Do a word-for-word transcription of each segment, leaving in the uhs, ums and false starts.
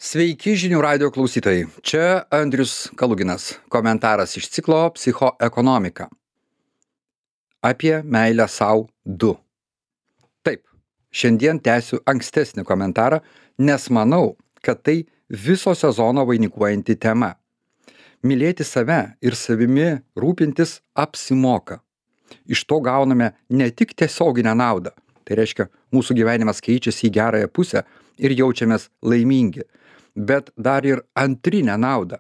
Sveiki žinių radijo klausytojai. Čia Andrius Kaluginas. Komentaras iš ciklo Psichoekonomika. Apie meilę sau du. Taip, šiandien tęsiu ankstesnį komentarą, nes manau, kad tai viso sezono vainikuojanti tema. Mylėti save ir savimi rūpintis apsimoka. Iš to gauname ne tik tiesioginę naudą, tai reiškia, mūsų gyvenimas keičiasi į gerąją pusę ir jaučiamės laimingi, bet dar ir antrinę naudą.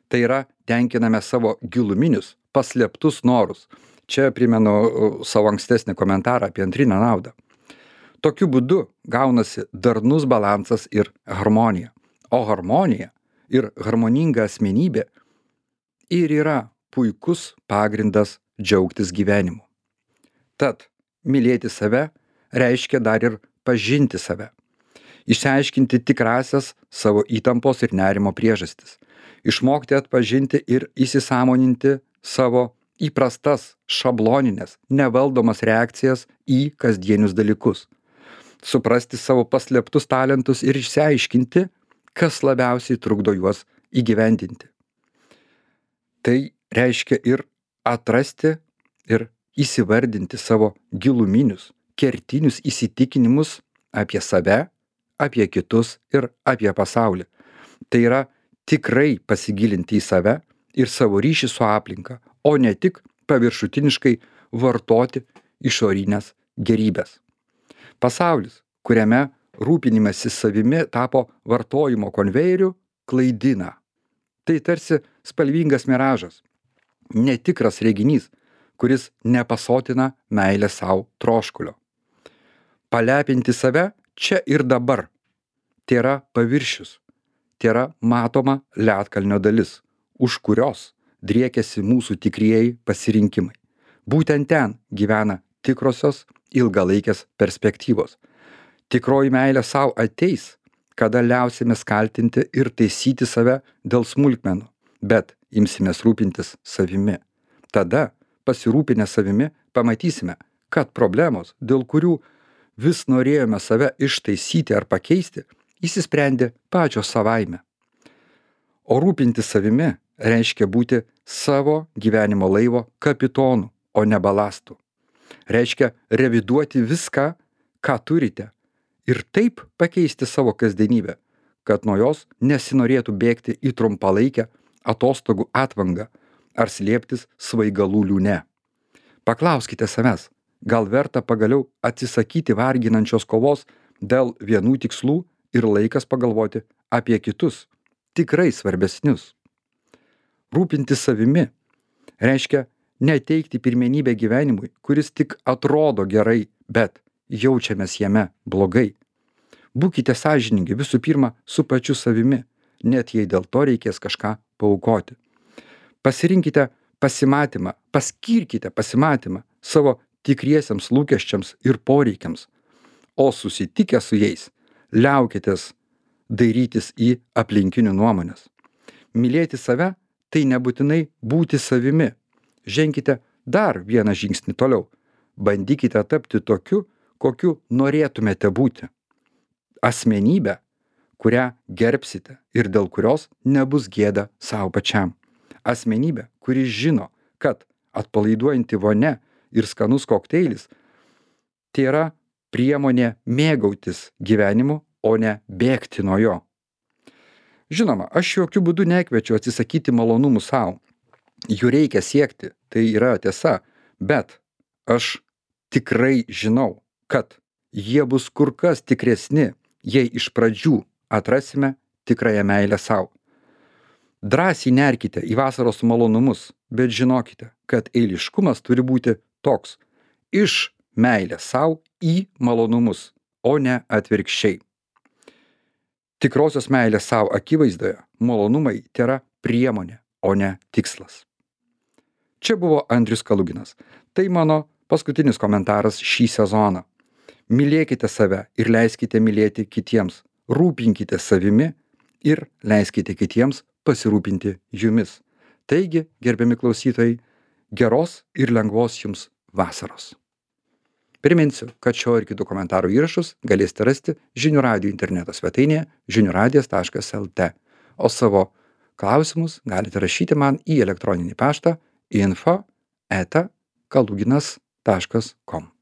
Tai yra, tenkiname savo giluminius, paslėptus norus. Čia primenu savo ankstesnį komentarą apie antrinę naudą. Tokiu būdu gaunasi darnus balansas ir harmonija. O harmonija ir harmoninga asmenybė ir yra puikus pagrindas džiaugtis gyvenimu. Tad mylėti save reiškia dar ir pažinti save. Išsiaiškinti tikrasias savo įtampos ir nerimo priežastis. Išmokti atpažinti ir įsisąmoninti savo įprastas, šabloninės, nevaldomas reakcijas į kasdienius dalykus. Suprasti savo paslėptus talentus ir išsiaiškinti, kas labiausiai trukdo juos įgyvendinti. Tai reiškia ir atrasti ir įsivardinti savo giluminius, kertinius įsitikinimus apie save, apie kitus ir apie pasaulį. Tai yra tikrai pasigilinti į save ir savo ryšį su aplinka, o ne tik paviršutiniškai vartoti išorinės gerybės. Pasaulis, kuriame rūpinimasis savimi tapo vartojimo konvejeriu, klaidina. Tai tarsi spalvingas miražas, netikras reginys, kuris nepasotina meilę sau troškulio. Palepinti save čia ir dabar. Tai yra paviršius, tai yra matoma ledkalnio dalis, už kurios driekiasi mūsų tikrieji pasirinkimai. Būtent ten gyvena tikrosios ilgalaikės perspektyvos. Tikroji meilė sau ateis, kada liausimės kaltinti ir taisyti save dėl smulkmenų, bet imsimės rūpintis savimi. Tada, pasirūpinę savimi, pamatysime, kad problemos, dėl kurių vis norėjome save ištaisyti ar pakeisti, įsisprendė pačios savaime. O rūpinti savimi reiškia būti savo gyvenimo laivo kapitonu, o ne balastu. Reiškia reviduoti viską, ką turite, ir taip pakeisti savo kasdienybę, kad nuo jos nesinorėtų bėgti į trumpalaikę atostogų atvangą ar slėptis svaigalų liūne. Paklauskite savęs, gal verta pagaliau atsisakyti varginančios kovos dėl vienų tikslų ir laikas pagalvoti apie kitus, tikrai svarbesnius. Rūpintis savimi reiškia neteikti pirmenybę gyvenimui, kuris tik atrodo gerai, bet jaučiamės jame blogai. Būkite sąžiningi visų pirma su pačiu savimi, net jei dėl to reikės kažką paaukoti. Pasirinkite pasimatymą, paskirkite pasimatymą savo tikriesiams lūkesčiams ir poreikiams, o susitikę su jais, liaukitės dairytis į aplinkinių nuomonės. Mylėti save tai nebūtinai būti savimi. Ženkite dar vieną žingsnį toliau. Bandykite tapti tokiu, kokiu norėtumėte būti. Asmenybė, kurią gerbsite ir dėl kurios nebus gėda savo pačiam. Asmenybė, kuri žino, kad atpalaiduojanti vonia ir skanus kokteilis tai yra priemonė mėgautis gyvenimu, o ne bėgti nuo jo. Žinoma, aš jokių būdų nekviečiu atsisakyti malonumų savo. Jų reikia siekti, tai yra tiesa, bet aš tikrai žinau, kad jie bus kur kas tikresni, jei iš pradžių atrasime tikrąją meilę sau. Drąsiai nerkite į vasaros malonumus, bet žinokite, kad eiliškumas turi būti toks: iš meilės sau į malonumus, o ne atvirkščiai. Tikrosios meilės sau akivaizdoje malonumai tėra priemonė, o ne tikslas. Čia buvo Andrius Kaluginas. Tai mano paskutinis komentaras šį sezoną. Mylėkite save ir leiskite mylėti kitiems. Rūpinkite savimi ir leiskite kitiems pasirūpinti jumis. Taigi, gerbiami klausytojai, geros ir lengvos jums vasaros. Priminsiu, kad šio ir kitų komentarų įrašus galėsite rasti žinių radijo interneto svetainėje žinių radijas taškas lt, o savo klausimus galite rašyti man į elektroninį paštą info eta kaluginas taškas com.